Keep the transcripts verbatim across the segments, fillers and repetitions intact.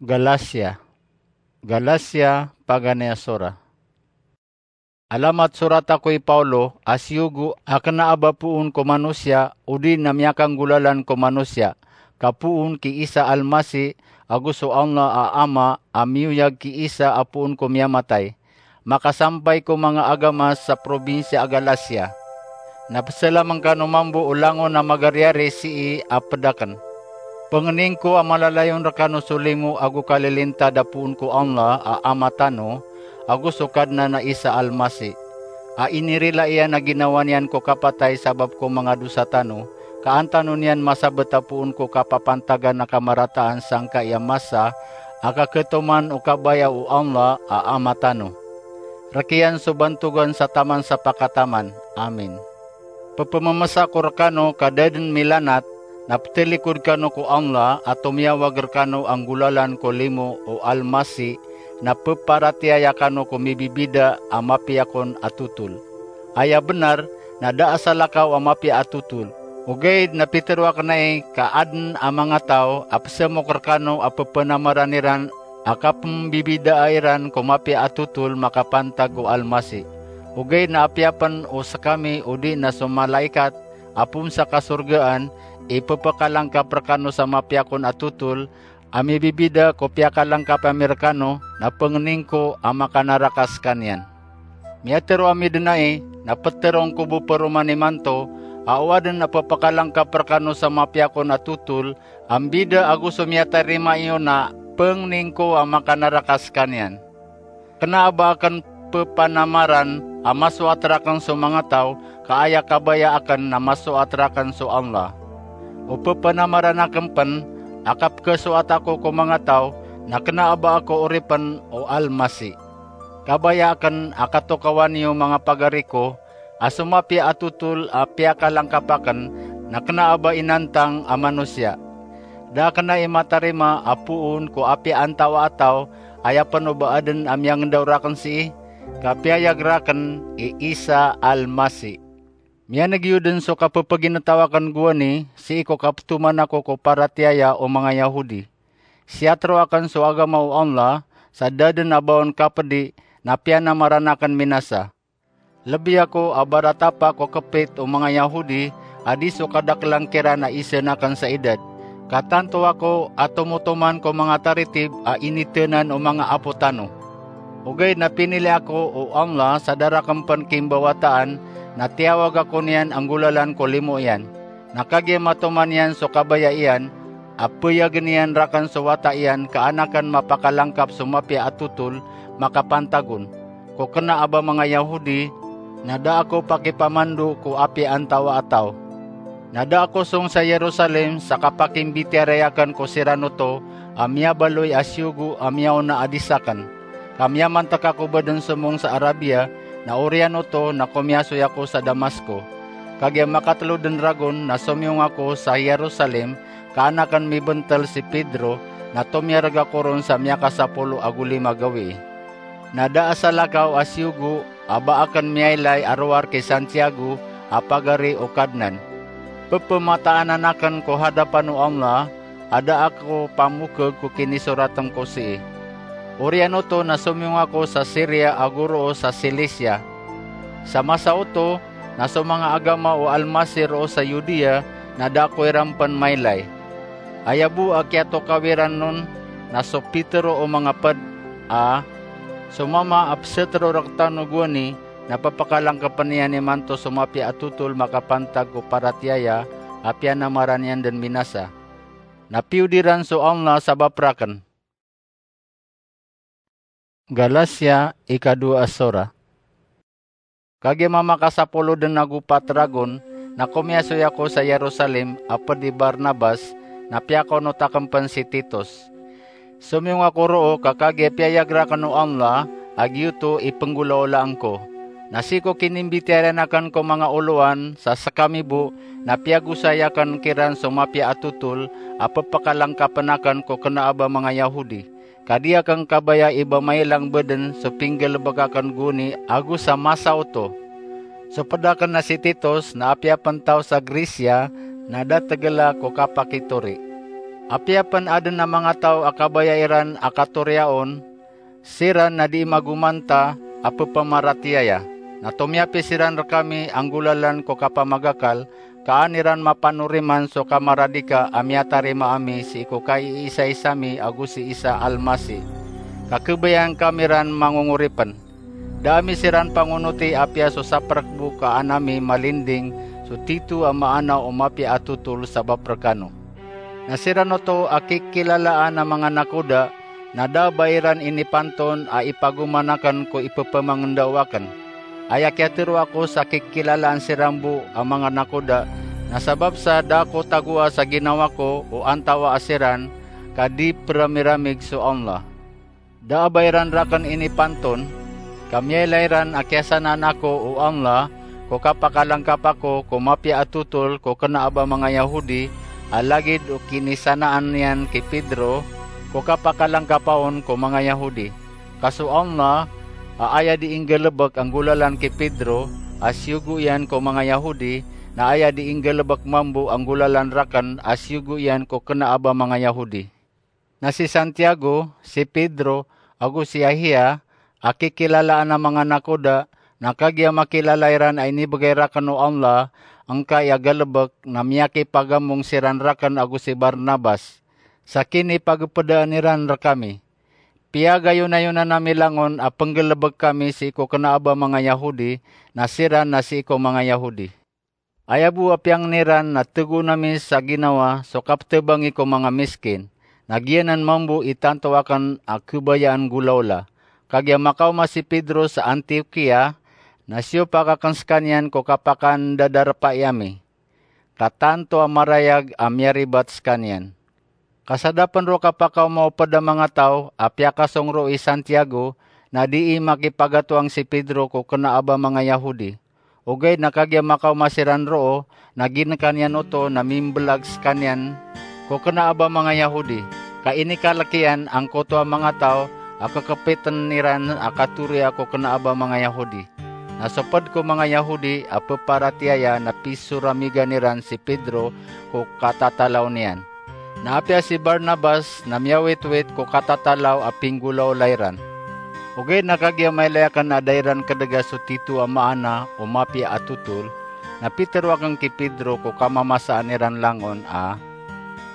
Galatia. Galatia, paganay a sora. Alamat sorata ko i Paulo a siyogo a kena a ba poon ko manosiya, odi na miyakanggolalan ko manosiya, ka poon ki Isa Almasi, ago so Allah a Ama a miyoyag ki Isa a poon ko miyamatay, makasampay ko manga agama sa probinsiya a Galatia. Na pesalamn kano mambo o langon a magariyari sii a ped aken. Pengening ko a malalayon rekano so limo ago kalilintad a poon ko Allah a Ama tano, ago so Kadnan a Isa Almasi, a inirila iyan a ginawa niyan ko kapatay sabap ko manga dosa tano, ka an tano niyan masabet a poon ko kapapantagan a kamarataan sangkai a masa a kaketoman o kabaya o Allah a Ama tano. Rek iyan so bantogan sa taman sa pakataman. Amin. Pepememesa ko rekano ka da den milanat, na petelikod kano ko Allah a tomiyawag rekano a nggolalan ko limo o Almasi, na peparatiyaya kano ko mibibida a mapiya kon a totol. Aya benar, na da a salakaw a mapiya a totol. Ogaid na pitero aken ai ka aden a manga taw a pesemok rekano a pepenamaran iran a kapembibidaa iran ko mapiya a totol makapantag ko Almasi. Ogaid na apiya pen o sekami odi na so malaikat a poon sa kasorgaan i pepekalangkap rekano sa mapiya kon a totol a mibibida ko piyakalangkap ami rekano, na pengening ko a makanaraka sekaniyan. Miyatero ami den ai, na petero ngko bo peroman imanto, a o aden a pepekalangkap rekano sa mapiya kon a totol a mbida ago so miyatarima iyo na pengening ko a makanaraka sekaniyan. Kena a ba aken pepanamaran a masoat raken so manga taw, ka aya kabaya aken na masoat raken so Allah. O pepanamaran aken pen a kapekesoat ako ko manga taw, na kena a ba ako oripen o Almasi. Kabaya aken a katokawan iyo manga pagari ko, a so mapiya a totol a piyakalangkap aken na kena a ba inantang a manosiya. Da aken ai matarima a poon ko apiya antawaa a taw, aya pen o ba aden a miyangendaw raken sii, ka piyayag raken i Isa Almasi. Miyaneg iyo den so kapepeginetaw aken gowani sii ko kapetoman ako ko paratiyaya o manga Yahudi. Siyatero aken so agama o Allah, sa da den a ba on kapedi na piyanamaran aken minasa. Lebi ako a baratapa ko kepit o manga Yahudi a di so kadakelan kiran a isen aken sa idad, ka tanto ako a tomotoman ko manga taritib a initenan o manga apo tano. Ogaid na pinili ako o Allah sa da raken pen kimbawataan, na tiyawag ako niyan a nggolalan ko limo iyan. Na kagiya matoman iyan so kabaya iyan, a peyagen iyan raken so wata iyan ka an aken mapakalangkap so mapiya a totol makapantag on, ko kena a ba manga Yahudi, na da ako pakipamando ko apiya antawaa a taw. Na da ako song sa Jerusalem sa kapakimbitiyarai aken ko siran oto a miyabaloy a siyogo a miyaona a di saken. Ka miyamantek ako bo den somong sa Arabia, na oriyan oto na komiyasoy ako sa Damasco. Kagiya makatelo den ragon na somiyong ako sa Jerusalem, ka an aken mibentel si Pedro, na tomiyareg ako ron sa miyakasapolo ago lima gawii. Na da a salakaw a siyogo a ba aken miyailay a rowar ki Santiago a pagari o Kadnan. Pepemataanan aken ko hadapan o Allah, a da ako pamokeg ko kinisorat ngko sii. Oriyan oto na somiyong ako sa Siria ago roo sa Silisia. Sa masa oto na so manga agama o Almasi roo sa Yudea na da ako iran pen mailay. Aya bo a kiyatokawi ran on na so pitero o manga ped a, so mama a pesetero rektano gowani na pepakalangkapen iyan imanto so mapiya a totol makapantag ko paratiyaya a piyanamaran iyan den minasa. Na piyodiran so Allah sabap raken. Galatia, ikadowa a sora. Kagiya mamakasapolo den ago pat ragon na komiyasoy ako sa Jerusalem a ped i Barnabas, na piyakonot aken pen si Titos. Somiyong ako roo ka kagiya piyayag raken o Allah a giyoto i penggolaolaan ko. Na sii ko kinimbitiyarai aken ko manga olowan sa sekami bo na piyagosay aken kiran so mapiya a totol a pepakalangkapen aken ko kena a ba manga Yahudi. Ka di aken kabaya i ba mailang bo den so pinggalebek aken gowani ago sa masa oto. So ped aken na si Titos na apiya pen taw sa Grecia na da tegela ko kapakitori. Apiya pn adn a manga taw a kabaya iran a katoriyaon, siran na dii magomanta a pphamaratiyaya. Na tomiyapi siran rkami a nggolalan ko kapamagakal, ka an iran mapanoriman so kamaradika a miyatarima ami sii ko kaiisaisa mi ago si Isa Almasi, ka khabayaan kami ran mangongoripn. Da ami siran pangonoti apiya so saprk bo ka an ami malinding so tito a maana o mapiya a totol sabap rkano. Na siran oto a kikilalaan a manga nakoda, na da a ba iran inipanton a ipagoman akn ko ipphmangendao akn. Aya kiyatharo ako sa kikilalaan siran bo a manga nakoda, na sabap sa da ako tagoa sa ginawa ko o antawaa siran, ka di pramiramig so Allah. Da a ba iran rakn inipanton, ka miyailay ran a kiyasanaan ako o Allah ko kapakalangkap ako ko mapiya a totol ko kna a ba manga Yahudi, a lagid o kinisanaan iyan ki Pedro ko kapakalangkapa on ko manga Yahudi. Ka so Allah, a aya dii nggalbk a nggolalan ki Pedro a siyogo iyan ko manga Yahudi, na aya dii nggalbk mambo a nggolalan rakn a siyogo iyan ko kna a ba manga Yahudi. Na si Santiago, si Pedro, ago si Yahya, a kikilalaan a manga nakoda, na kagiya makilala iran a inibgay rakn o Allah angkai a galbk, na miyakipagamong siran rakn ago si Barnabas sa kinipagpdaan iran rkami. Piyagayonayonan ami langon a pnggalbk kami sii ko kna a ba manga Yahudi, na siran na sii ko manga Yahudi. Aya bo a piyangni ran na tgoon ami sa ginawa so kaptbangi ko manga miskin, na giyanan mambo i tanto akn a khabayaan golaola. Kagiya makaoma si Pedro sa Antiokia, na siyopak akn skaniyan ko kapakandadarawai ami, ka tanto a marayag a miyaribat skaniyan. Ka sa da pn roo kapakaoma o pd a manga taw a piyakasong roo i Santiago, na dii makipagatoang si Pedro ko kna a ba manga Yahudi. Ogaid na kagiya makaoma siran roo, na ginkan iyan oto na mimblag skaniyan ko kna a ba manga Yahudi. Ka inikalk iyan angkoto a manga taw a kkpitn iran a katoriya ko kna a ba manga Yahudi. Na so pd ko manga Yahudi a pparatiyaya na pisoramigan iran si Pedro ko katatalaw niyan. Na apiya si Barnabas na miyawitwit ko katatalaw a pinggolaola iran. Ogaid na kagiya mailay akn a da iran kdga so tito a maana o mapiya a totol, na pitharo akn ki Pedro ko kamamasaan iran langon a,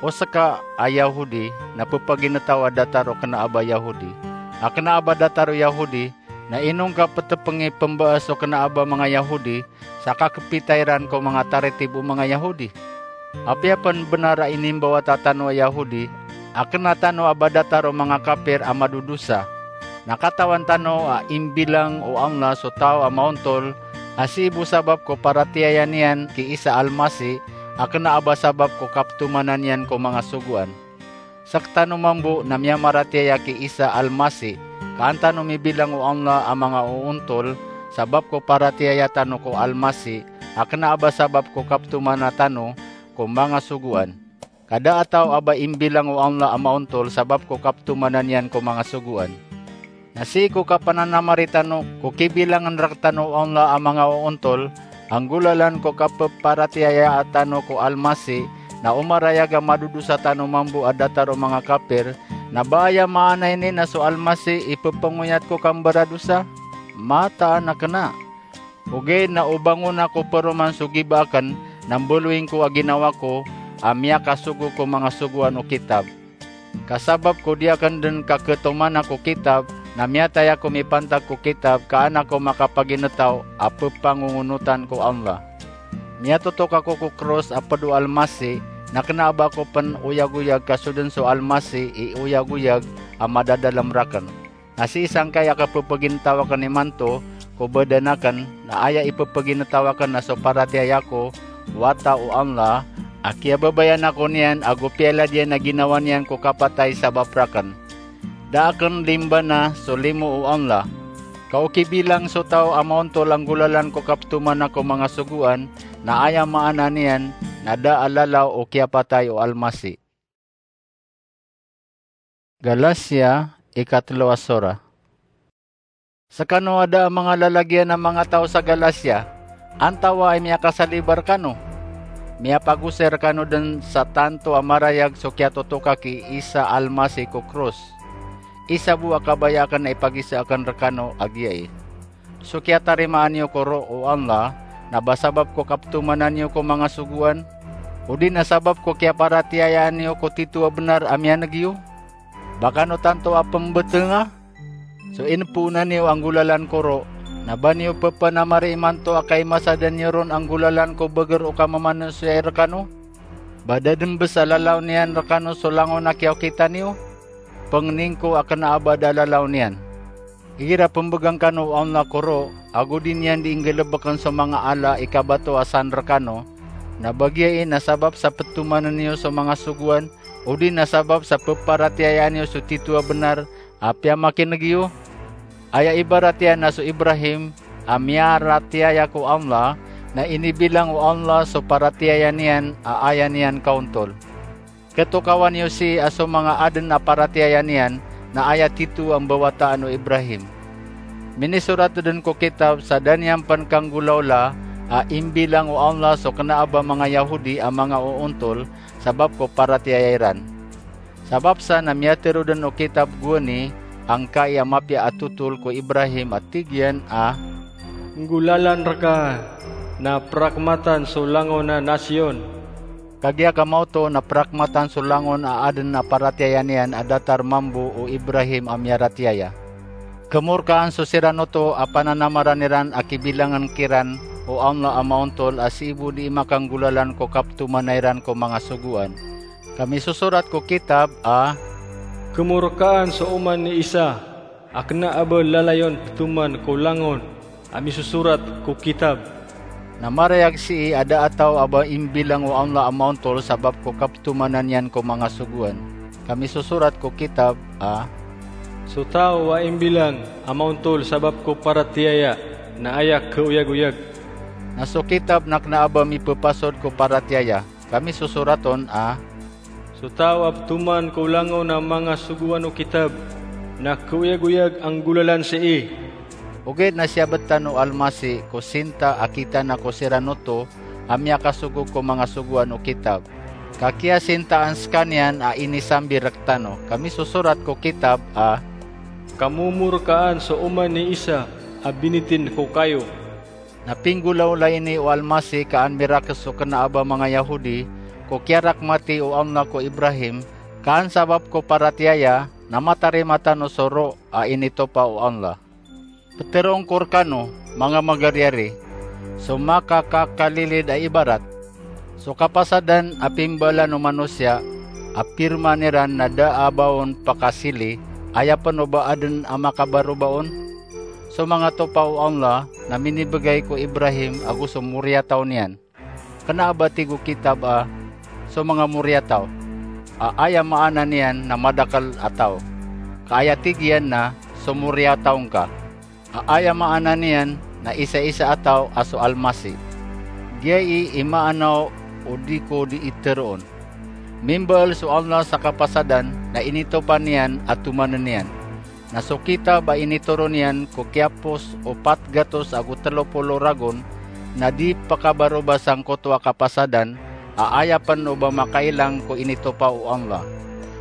o ska a Yahudi na ppagintaw a datar o kna a ba Yahudi, a kna a ba datar o Yahudi, na ino ngka ptpngi pmbaas o kna a ba manga Yahudi sa kakpita iran ko manga taritib o manga Yahudi? Apiya pn bnar a inimbawata tano a Yahudi a kna tano a ba datar o manga kapir a madodosa, na katawan tano a imbilang o Allah so taw a maontol a sii bo sabap ko paratiyaya niyan ki Isa Almasi, a kna a ba sabap ko kaptomanan iyan ko manga sogoan. Sktano mambo na miyamaratiyaya ki Isa Almasi, ka an tano mibilang o Allah a manga oontol sabap ko paratiyaya tano ko Almasi, a kna a ba sabap ko kaptomana tano ko manga sogoan. Ka da a taw a ba imbilang o Allah a maontol sabap ko kaptomanan iyan ko manga sogoan. Na sii ko kapananamari tano ko kibilangn rktano o Allah a manga oontol a nggolalan ko kapparatiyaya tano ko Almasi, na omarayag a madodosa tano mambo a datar o manga kapir, na ba aya maana ini na so Almasi i pphangoyat ko kambaradosa? Mataan a kna. Ogaid na o bangon ako paroman so giba akn na mbaloy ngko a ginawa ko a miyakasogo ko manga sogoan o kitab. Ka sabap ko di akn dn kakhatomana ko kitab, na miyatay ako mipantag ko kitab ka an ako makapagintaw a pphangongonotan ko Allah. Miyatotok ako ko kros a pd o Almasi, na kna a ba ako pn oyagoyag ka so dn so Almasi i oyagoyag a madadalm rakn. Na sii sangkai a kaphapagintaw akn imanto ko badan akn, na aya iphapagintaw akn na so paratiyaya ko wata o Allah, a kiyababayaan ako niyan ago piyalad iyan a ginawa niyan ko kapatay sabap rakn. Da akn limbana so limo o Allah. Ka o kibilang so taw a maontol a nggolalan ko kaptomana ko manga sogoan, na aya maana niyan na da a lalaw o kiyapatay o Almasi. Galacia, ikatlo a sora. Skano a da a manga lalagiyan a manga taw sa Galacia, antawaa i miyakasalibar kano? Miyapagosay rkano dn sa tanto a marayag so kiyatotoka ki Isa Almasi ko krus. Isa bo a kabaya akn a ipagisa akn rkano a giyai. So kiyatarimaan iyo ko ro o Allah na ba sabap ko kaptomanan iyo ko manga sogoan, odi na sabap ko kiyaparatiyayaan iyo ko tito a bnar a miyaneg iyo? Ba kano tanto a pmbtnga? So inpoonan iyo a nggolalan ko ro, na ba niyo ppanamari imanto a kaimasadan iyo ron a nggolalan ko bagr o kamamanosiya i rkano? Ba da dn bs a lalaw niyan rkano so langon a kiyaokita niyo? Pangnin ko a kna a ba da lalaw niyan. Igira pmbgan kano o Allah ko ro, ago di niyan di inggalbkn so manga ala i kabato a san rkano, na ba giyai na sabap sa ptomanan iyo so manga sogoan, odi na sabap sa pparatiyayaan iyo so tito a bnar a piyamakineg iyo? Aya ibarat iyan na so Ibrahim a miyaratiyaya ko Allah, na inibilang o Allah so paratiyaya niyan a aya niyan kaontol. Khatokawan iyo sii a so manga adn a paratiyaya niyan na aya tito a mbawataan o Ibrahim. Minisorat dn ko kitab sa da niyan pn kanggolawla a imbilang o Allah so kna a ba manga Yahudi a manga oontol sabap ko paratiyaya iran. Sabap sa na miyatharo dn o kitab gowani angkai a mapiya a totol ko Ibrahim a tig iyan a, "Nggolalan rka na prakmatan so langon a nasiyon." Kagiya ka maoto na prakmatan so langon a adn a paratiyaya niyan a datar mambo o Ibrahim a miyaratiyaya. Khmorkaan so siran oto a pananamaran iran a kibilangn kiran o Allah a maontol a sii bo di makanggolalan ko kaptomana iran ko manga sogoan. Ka misosorat ko kitab a, "Khmorkaan so oman i Isa a kna a ba lalayon ptoman ko langon a misosorat ko kitab." Na marayag sii a da a taw a ba imbilang o Allah a maontol sabap ko kaptomanan iyan ko manga sogoan. Ka misosorat ko kitab a, "So taw a imbilang a maontol sabap ko paratiyaya na aya khaoyagoyag." Na so kitab na kna a ba mipphasod ko paratiyaya. Ka misosorat on a, "So taw a ptoman ko langon a manga sogoan o kitab na khaoyagoyag a nggolalan sii." Ogaid na siyabtan o Almasi ko sinta a kitana ko siran oto a miyakasogog ko manga sogoan o kitab. Ka kiyasintaan skaniyan a inisambi rktano. Ka misosorat ko kitab a, "Khmomorkaan so oman i Isa a binitin ko kayo." Na pinggolawla ini o Almasi ka an mirakes so kna a ba manga Yahudi ko kiyarakmati o Allah ko Ibrahim, ka an sabap ko paratiyaya na matarima tano so ro a initopa o Allah. Ptharoon ko rkano, manga magariyari, so makakakalilid a ibarat. So kapasadan a pimbaalan o manosiya a pirman iran na da a ba on pakasili, aya pn o ba adn a makabaroba on? So manga topa o Allah na minibgay ko Ibrahim ago so moriyataw niyan. Kna a ba tig o kitab a, "So manga moriyataw," a aya maana niyan na madakl a taw. Ka aya tig iyan na, "So moriyataw ngka," a aya maana niyan na isaisa a taw a so Almasi. Giyai i maana o di ko di itharoon. Mimbaal so Allah sa kapasadan na initopa niyan a tomanen iyan. Na so kitab a initoron iyan ko kiyapos o pat gatos ago tlo polo ragon na di pakabaroba sangkoto a kapasadan, a aya pn o ba makailang ko initopa o Allah.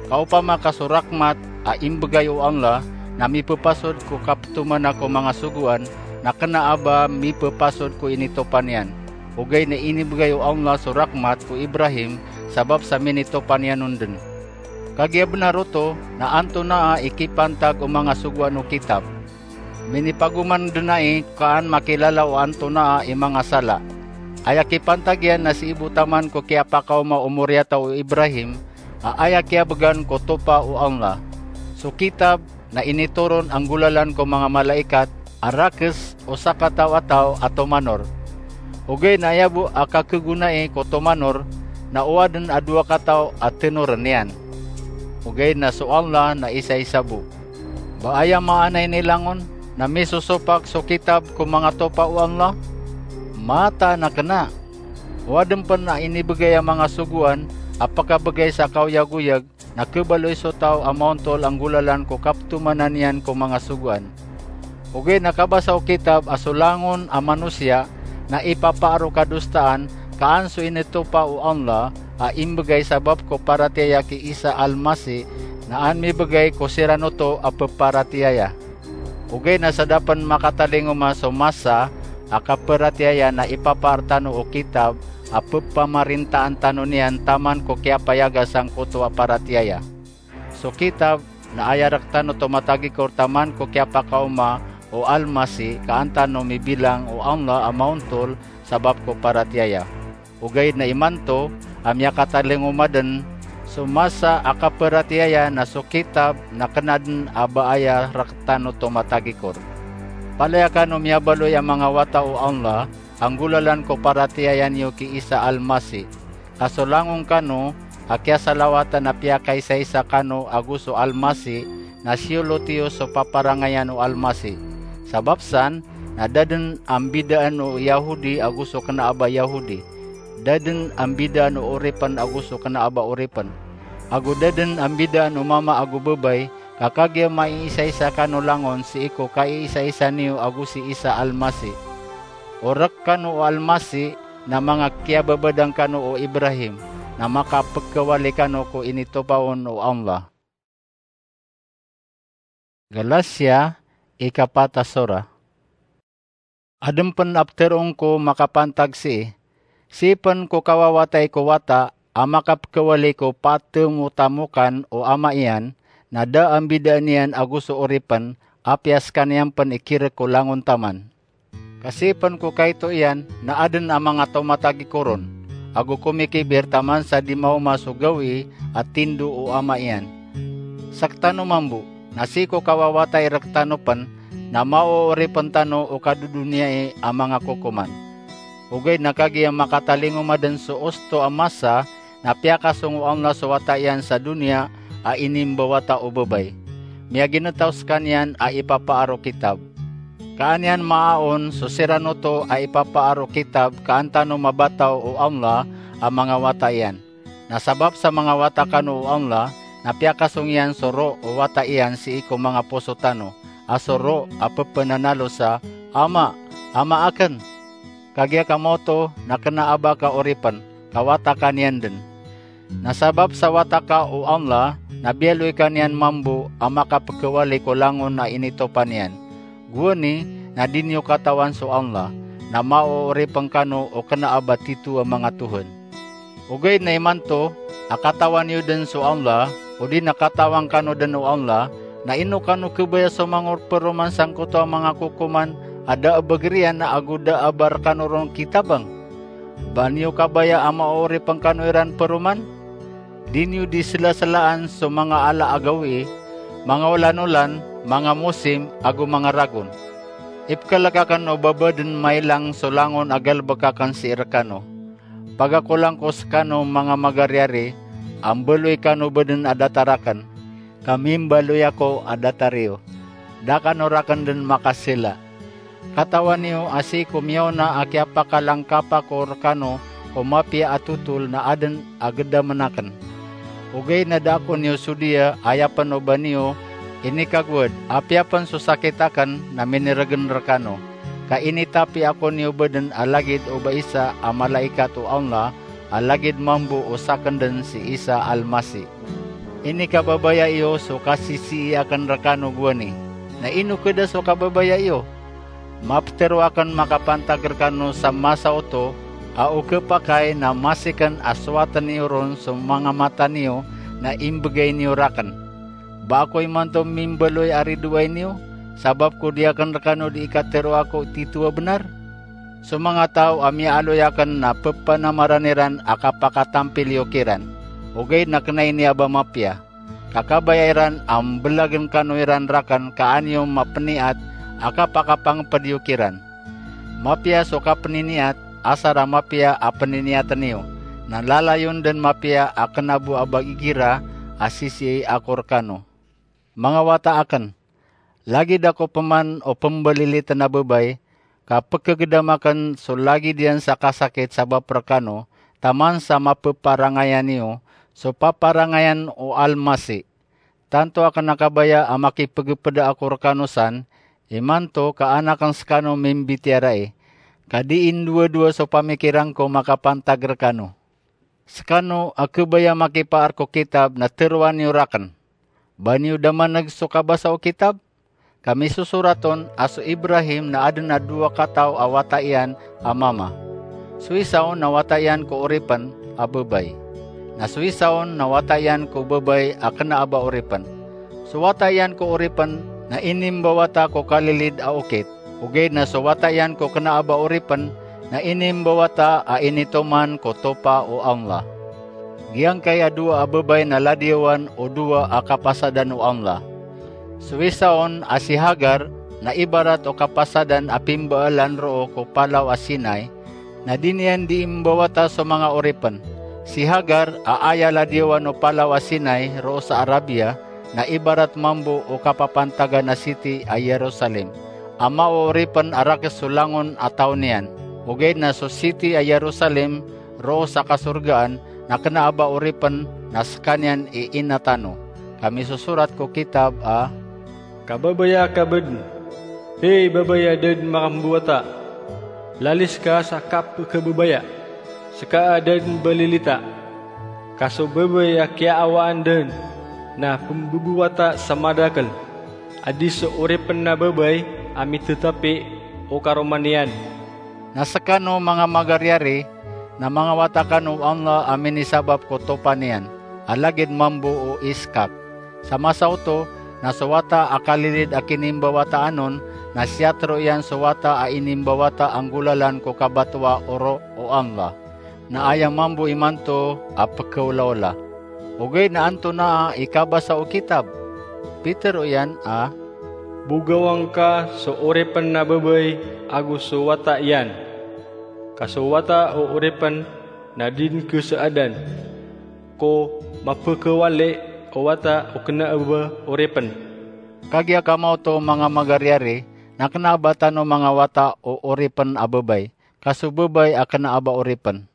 Ka opama ka so rakmat a imbgay o Allah na mipphasod ko kaptomana ko manga sogoan, na kna a ba mipphasod ko initopa niyan. Ogaid na inibgay o Allah so rakmat ko Ibrahim sabap sa minitopa niyan on dn. Kagiya bnar oto na antonaa i kipantag o manga sogoan o kitab. Minipagoman dn ai ka an makilala o antonaa i manga sala. Aya kipantag iyan na sii bo taman ko kiyapakaoma o moriyataw o Ibrahim, a aya kiyabgan ko topa o Allah. So kitab na initoron a nggolalan ko manga malaikat a rakes o sakataw a taw a tomanor. Ogaid na aya bo a kakhagonai ko tomanor na o adn a dowa kataw a tenoren iyan. Ogaid na so Allah na isaisa bo. Ba aya maana ini langon na misosopak so kitab ko manga topa o Allah? Mataan a kna. O adn pn a inibgay a manga sogoan a pkabgay sa kaoyagoyag na khabaloy so taw a maontol a nggolalan ko kaptomana niyan ko manga sogoan. Ogaid na kabasa o kitab a so langon a manosiya na ipapaar o kadosaan Kaan so initopa o Allah a imbgay sabap ko paratiyaya ki Isa Al-Masih na an mibgay ko siran oto a pparatiyaya. Ogaid na sa da pn makatalingoma so masa a kaparatiyaya na ipapaar tano o kitab a ppamarintaan tano niyan taman ko kiyapayaga sangkoto a paratiyaya. So kitab na aya rktano oto matagikor taman ko kiyapakaoma o Al-Masih, ka an tano mibilang o Allah a maontol sabap ko paratiyaya. Ogaid na imanto a miyakatalingoma dn so masa a kaparatiyaya na so kitab na kna dn a ba aya rktano oto matagikor. Palaya kano miyabaloy a manga wata o Allah a nggolalan ko paratiyaya niyo ki Isa Al-Masih. Ka so langon kano a kiyasalawatan a piyakaisaisa kano ago so Al-Masih na siyolot iyo so paparangayan o Al-Masih. Sabap san na da dn a mbidaan o Yahudi ago so kna a ba Yahudi. Da dn a mbidaan o oripn ago so kna a ba oripn. Ago da dn a mbidaan o mama ago babay, ka kagiya maiisaisa kano langon sii ko kaiisaisa niyo ago si Isa Al-Masih. O rk kano o Al-Masih na manga kiyababadang kano o Ibrahim, na makapkhawali kano ko initopa on o Allah. Galatia, ikapat a sora. Adn pn a ptharoon ko makapantag sii, sii pn ko kawawatay ko wata a makapkhawali ko patmotamokan o ama iyan, na da a mbidaan iyan ago so oripn, apiya skaniyan pn i kirk ko langon taman. Ka sii pn ko kaito iyan na adn a manga taw matagikor on, ago komikibir taman sa di maoma so gawii a tindo o ama iyan. Sktano mambo, na sii ko kawawatay rktano pn, na maooripn tano o kadodoniyai a manga kokoman. Ogaid na kagiya makatalingoma dn so osto a masa, na piyakasong o Allah so wata iyan sa doniya a inimbawata o babay. Miyagintaw skaniyan a ipapaar o kitab. Ka an iyan maaon so siran oto a ipapaar o kitab ka an tano mabataw o Allah a manga wata iyan. Na sabap sa manga wata kano o Allah, na piyakasong iyan so roh o wata iyan sii ko manga poso tano, a so roh a pphananalo sa, "Ama, ama akn." Kagiya ka maoto na kna a ba ka oripn, ka wata ka niyan dn. Na sabap sa wata ka o Allah, na biyaloy ka niyan mambo a makapkhawali ko langon a initopa niyan. Gowani na di niyo katawan so Allah, na maooripn kano o kna a ba titho a manga tohan. Ogaid na imanto a katawan iyo dn so Allah, odi na katawan kano dn o Allah, na ino kano khabaya so mangorperoman sangkoto a manga kokoman a da a ba giriyan ago da a ba rkano ron kitabang? Ba niyo kabaya a maooripn kano iran paroman? Di niyo di slaslaan so manga ala a gawii, manga olan-olan, manga mosim, ago manga ragon. Ipkhalk akn o ba ba dn mailang so langon a galbk akn sii rkano. Pagakolang ko skano manga magariyari, a mbaloy kano ba dn a datar akn, ka mimbaloy ako a datar iyo. Da kano rakn dn makasila. Katawan iyo a sii ko miyaona a kiyapakalangkap ako rkano ko mapiya a totol na adn a gdamn akn. Ogaid na da ako niyo sodiya, aya pn o ba niyo inikagowad, apiya pn so sakit akn na minirgn rkano. Ka initapi ako niyo ba dn a lagid o ba isa a malaikat o Allah, a lagid mambo o sakn dn si Isa Almasih. Inikababaya iyo so kasisii akn rkano gowani. Na ino kda so kababaya iyo? Maptharo akn makapantag rkano sa masa oto a o khapakay na masikn a sowatn iyo ron so manga mata niyo na imbgay niyo rakn. Ba ako imanto mimbaloy a ridoay niyo, sabap ko di akn rkano di ikatharoa ko titho a bnar? So manga taw a miyaaloy akn na ppanamaran iran a kapakatampil iyo kiran, ogaid na kna ini a ba mapiya. Ka kabaya iran a mblagn kano iran rakn ka an iyo mapniyat a kapakapangpd iyo kiran. Mapiya so kapniniat, asar a mapiya a pniniyatn iyo, na lalayon dn mapiya a kna bo a ba igira a sisii ako rkano. Manga wata akn, lagid ako pman o pmbalilitn a babay, ka pkhagdam akn so lagid iyan sa kasakit sabap rkano, taman sa mapparangayan iyo so paparangayan o Almasih. Tanto akn a kabaya a makipgpda ako rkano san, imanto ka an akn skano mimbitiyarai. ka dii ndowadowa so pamikiran ko makapantag rekano. Sekano a kebaya makipaar ko kitab na teroa niyo raken. Ba niyo damaneg so kabasa o kitab? Ka misosorat on a so Ibrahim na aden a dowa kataw a wata iyan a mama. So isa on na wata iyan ko oripen a bebay. Na so isa on na wata iyan ko bebay a kena a ba oripen. So wata iyan ko oripen na inimbawata ko kalilid a okit. Ogaid na so wata iyan ko kena a ba oripen na inimbawata a initoman ko topa o Allah. Giyangkai a dowa a bebay na ladiyawan o dowa a kapasadan o Allah. So isa on a si Hagar na ibarat o kapasadan a pimbaalan roo ko palaw a Sinai, na di niyan dii mbawata so manga oripen. Si Hagar a aya ladiyawan o palaw a Sinai roo sa Arabia, na ibarat mambo o kapapantagan a siti a Jerusalem, a maooripen a rakhs so langon a taw niyan. Ogaid na so siti a Jerusalem roo sa kasorgaan na kena a ba oripen na sekaniyan i ina tano. Ka misosorat ko kitab a, "Kababaya ka bo den, hey babay a da den makambawata, lalis ka sa kapekebabaya, seka a da den balilita. Ka so babay a kiyaawaan den na pembebawata sa madakel, a di so oripen a babay a mitetapi o karoma niyan." Na sekano manga magariari, na mangawata kano o Allah a minisabap ko topa niyan, a lagid mambo o Iskak. Sa masa oto, na so wata a kalilid a kinimbawataan on, na siyatero iyan so wata a inimbawata a nggolalan ko kabatowa o ro o Allah. Na aya mambo imanto a pekeolaola. Ogaid na antonaa i kabasa o kitab? Pitero iyan a, "Bogawan ka so oripen a babay ago so wata iyan. Ka so wata o oripen na di den kesaadan ko mapekewali o wata o kena a ba oripen." Kagiya kamaoto manga magariari, na kena a ba tano mangawata o oripen a babay, ka so babay a kena a ba oripen.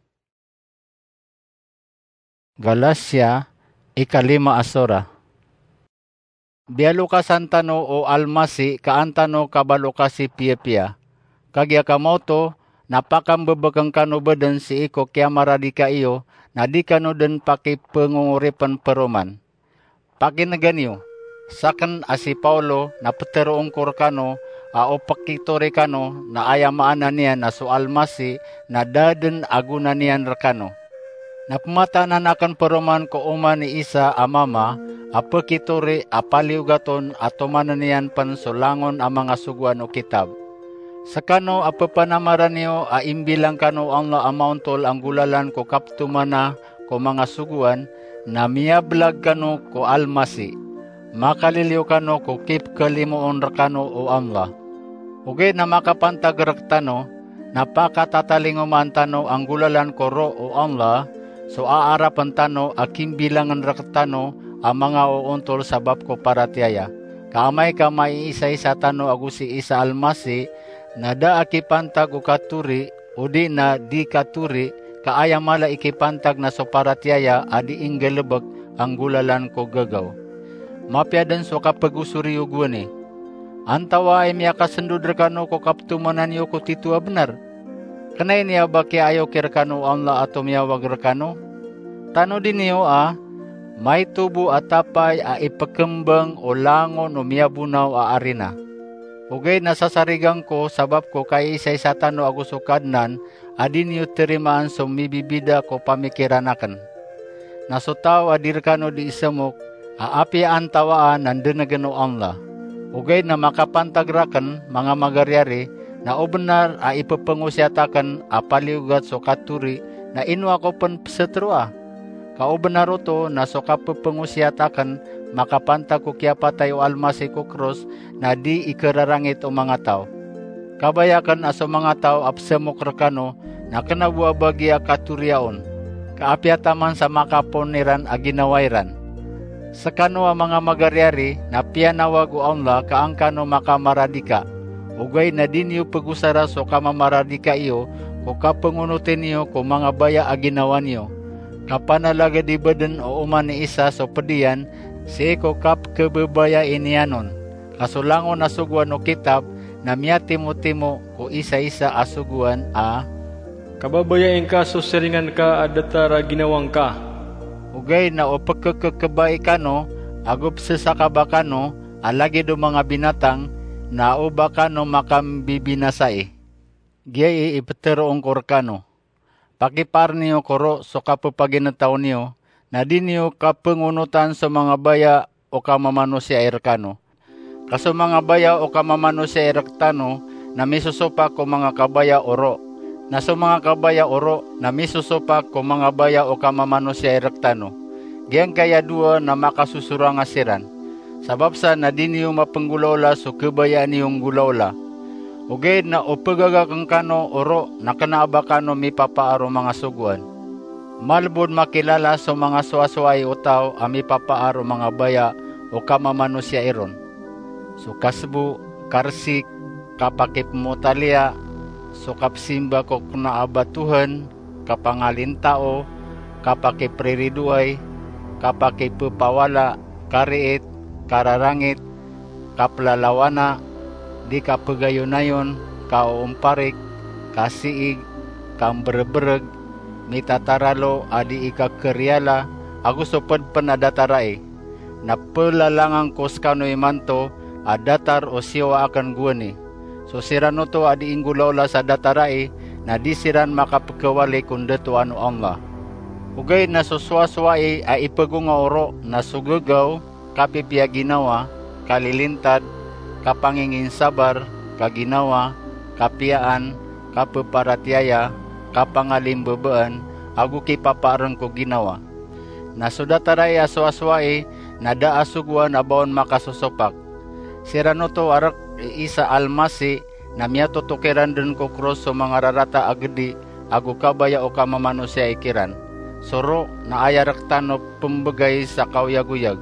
Galatia, ikalima a sora. Biyalokasan tano o Almasi ka an tano kabalokasi piyapiya. Kagiya kamaoto, na pakambebeken kano bo den sii ko kiyamaradika iyo, na di kano den pakipengongoripen peroman. Pakinega niyo, saken a si Paulo na peteroon ko rekano a o pekitori kano na aya maana niyan na so Almasi na da den a gona niyan rekano. Na pemataanan aken peroman ko oman i isa a mama a pekitori a paliyogat on a tomanen iyan pen so langon a manga sogoan o kitab. Sekano a pepanamaran iyo a imbilang kano o Allah a maontol a nggolalan ko kaptomana ko manga sogoan, na miyablag kano ko Almasi. Makaliliyo kano ko kipekalimoon rekano o Allah. Ogaid na makapantag rektano, na pakatatalingomaan tano a nggolalan ko ro o Allah, so aarapen tano a kimbilangen rektano a manga oontol sabap ko paratiyaya. Ka amay ka maiisaisa tano ago si Isa Almasi, na da a kipantag o katori, odi na di katori, ka aya mala i kipantag na so paratiyaya a di inggalebek a nggolalan ko gagaw. Mapiya den so kapegosori yo gowani. Antawaa i miyakasendod rekano ko kaptomanan iyo ko tito a benar? Kenay niya ba kiyaayoki rekano o Allah a tomiyawag rekano? Tanodi niyo a, maito bo a tapay a ipekembang o langon o miyabonaw a arina. Ogaid na sasarigan ko sabap ko kaiisaisa tano ago so Kadnan a di niyo terimaan so mibibida ko pamikiran aken. Na so taw a di rekano di isemok a apiya antawaa na ndenegen o Allah. Ogaid na makapantag raken, manga magariari, na o benar a ipepengosiyat aken a paliyogat so katori, na ino ako pen peseteroa? Ka o benar oto na so kapepengosiyat aken makapantag ko kiyapatay o Almasi ko kros na di ikerarangit o manga taw. Kabaya aken a so manga taw a pesemok rekano na kena bo a bagiya katoriya on, ka apiya taman sa makapoon iran a ginawa iran. Sekano a manga magariari na piyanawag o Allah ka an kano makamaradika. Ogaid na di niyo pegosara so kamamaradika iyo ko kapengonoten iyo ko manga baya a ginawa niyo. Kapanalagedi bo den o oman i Isa so ped iyan sii ko kapekebebaya niyan on. Ka so langon a sogoan o kitab na miyatimotimo ko isaisa a sogoan a, "Kababayai ngka so siringan ka a datar a ginawa ngka." Ogaid na o pkkkbai kano ago psasakaba kano a lagid o manga binatang, na o ba kano makambibinasai. Giyai i ptharoon ko rkano: Pakipaar niyo ko ro so kapapaginetaw niyo, na di niyo kapngonotan so manga baya o kamamanosiya i rkano. Ka so manga baya o kamamanosiya i rktano na misosopak ko manga kabaya o ro, na so manga kabaya o ro na misosopak ko manga baya o kamamanosiya i rktano. Giyangkaya dowa na makasosoranga siran. Sabap sa na di niyo mapnggolaola so khabayaan iyo nggolaola. Ogaid na o pgagakn kano o ro na kna a ba kano mipapaar o manga sogoan. Malbod makilala so manga sowasowai o taw a mipapaar o manga baya o kamamanosiya iron: so kasbo, karsik, kapakipmotaliya, so kapsimba ko kna a ba Tuhan, kapangalintao, kapakipriridoay, kapakipphawala, kariit, kararangit, kaplalawana, di kapgayonayon, kaoomparik, kasiig, kambrbrg, mitataralo a di ikakariyala, ago so pd pn a datar ai. Na plalangan ko skano imanto a datar o siyowa akn gowani. So siran oto a di inggolaola sa datar ai, na di siran makapkhawali ko ndatoan o Allah. Ogaid na so sowasowai a ipgonga o ro na so gagaw, kapipiya ginawa, kalilintad, kapanginginsabar, kaginawa, kapiyaan, kapaparatiyaya, kapangalimbabaan, ago kipapaarn ko ginawa. Na so datar ai a sowasowai na da a sogoan a ba on makasosopak. Siran oto a rk i Isa Almasi na miyatotok iran dn ko kros so manga rarata a gdi ago kabaya o kamamanosiya i kiran. So ro na aya rktano pmbgay sa kaoyagoyag.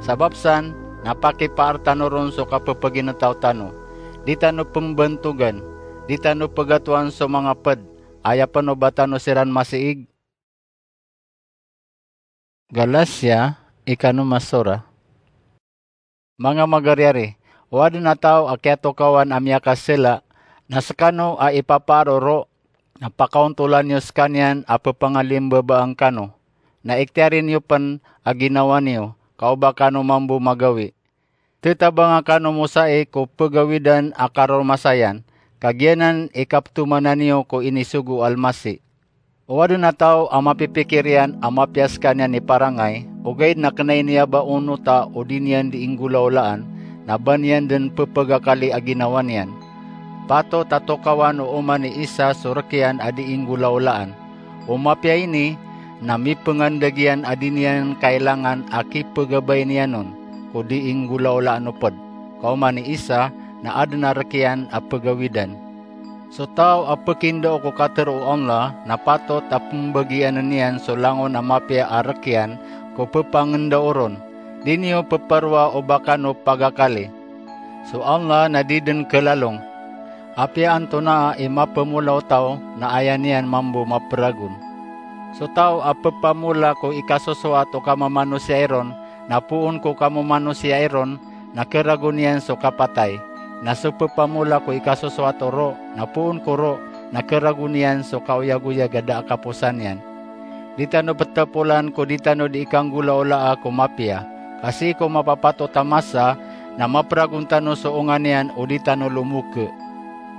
Sabap san na pakipaar tano ron so kapapaginetaw tano. Di tano pmbantogan, di tano pgatoan so manga pd, aya pn o ba tano siran masiig. Galasiya, ikano masora. Manga magariyari, o adn a taw a kiyatokawan a miyakasla, na skano a ipapaar o ro, na pakaontolan iyo skaniyan a pphangalimbabaan kano, na iktiyari niyo pn a ginawa niyo, ka o ba kano mambo magawi. Tetabanga kano mosai ko pgawidan a karoromasayan, ka giyanan i kaptomanan iyo ko inisogo o Almasi. O adn a taw a mapipikir iyan a mapiya skaniyan i parangay, ogaid na kna i niya ba onota o di niyan di inggolaolaan, na ba niyan dn pphagakali a ginawa niyan. Patot a tokawan o oman i isa so rk iyan a di inggolaolaan. O mapiya ini na mipngandg iyan a di niyan kailangan a kipgabay niyan on ko di inggolaolaan o pd. Ka oman i isa na adn a rk iyan a pgawidan. So taw a pkindao ko katharo o Allah na patot a pmbagiann iyan so langon a mapiya a rk iyan ko pphangndao ron. Di niyo pphoroa o ba kano pagakali. So Allah na di dn klalong. Apiya antonaa i maphamola o taw na aya niyan mambo mapragon. So taw a pphamola ko ikasosowat o kamamanosiya iron na poon ko kamamanosiya iron na kharagon iyan so kapatay. Na so pphamola ko ikasosowat o ro na poon ko ro na kharagon iyan so kaoyagoyag a da a kaposan iyan. Di tano pthapolan ko di tano di ikanggolaolaa ko mapiya, ka sii ko mapapatot a masa na mapragon tano so onga niyan o di tano lomokha.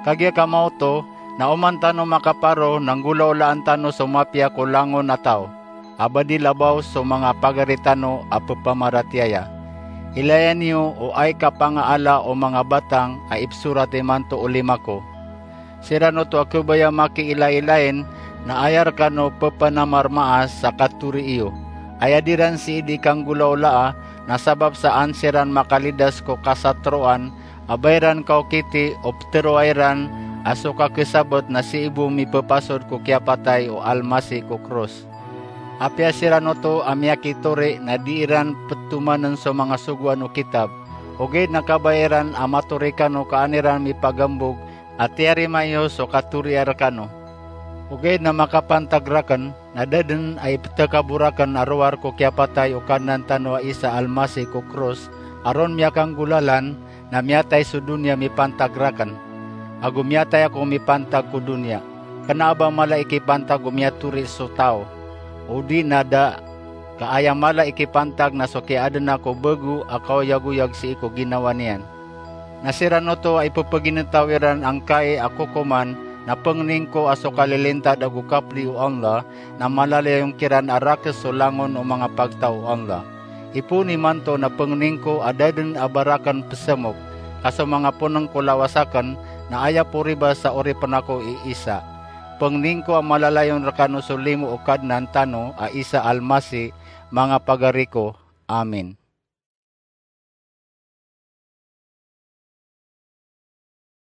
Kagiya kamaoto na oman tano makaparo na nggolaolaan tano so mapiya ko langon a taw a ba di labaw so manga pagari tano a pphamaratiyaya. Ilaya niyo o ay kapangaala o manga batang a ipsorat imanto o lima ko. Siran oto a khabaya makiilailain na aya rkano pphanamarmaas sa kathori iyo. Aya diran sii di ikanggolaolaa na sabap sa an siran makalidas ko kasatroan a ba iran kaokiti o ptharoa iran a so kakhasabt na sii bo miphapasod ko kiyapatay o Almasi ko kros. Apiya siran oto a miyakitori na di iran pthomann so manga sogoan o kitab, ogaid na kabaya iran a matori kano ka an iran mipagambog a tiyarima iyo so katoriya rkano. Ogaid na makapantag rakn na da dn a ipthakabo rakn a rowar ko kiyapatay o Kadnan tano a Isa Almasi ko kros a ron miyakanggolalan, na miyatay so doniya mipantag rakn, ago miyatay ako mipantag ko doniya. Kna a ba mala i kipantag o miyatori so taw, odi na da, ka aya mala i kipantag na so kiyaadna ko bago a kaoyagoyag sii ko ginawa niyan. Na siran oto a ipepeginetaw iran angkai a kokoman, na pengnin ko a so kalilintad ago kapli o Allah, na malalayon kiran a rakes so langon o manga pagtaw o Allah. Ipoon imanto na pengnin ko a da den a ba raken pesemok, ka so manga poneng ko lawas aken, na aya poribas sa oripen ako i Isa. Pengnin ko a malalayon rekano so limo o Kadnan tano a Isa Almasi, manga pagari ko. Amin.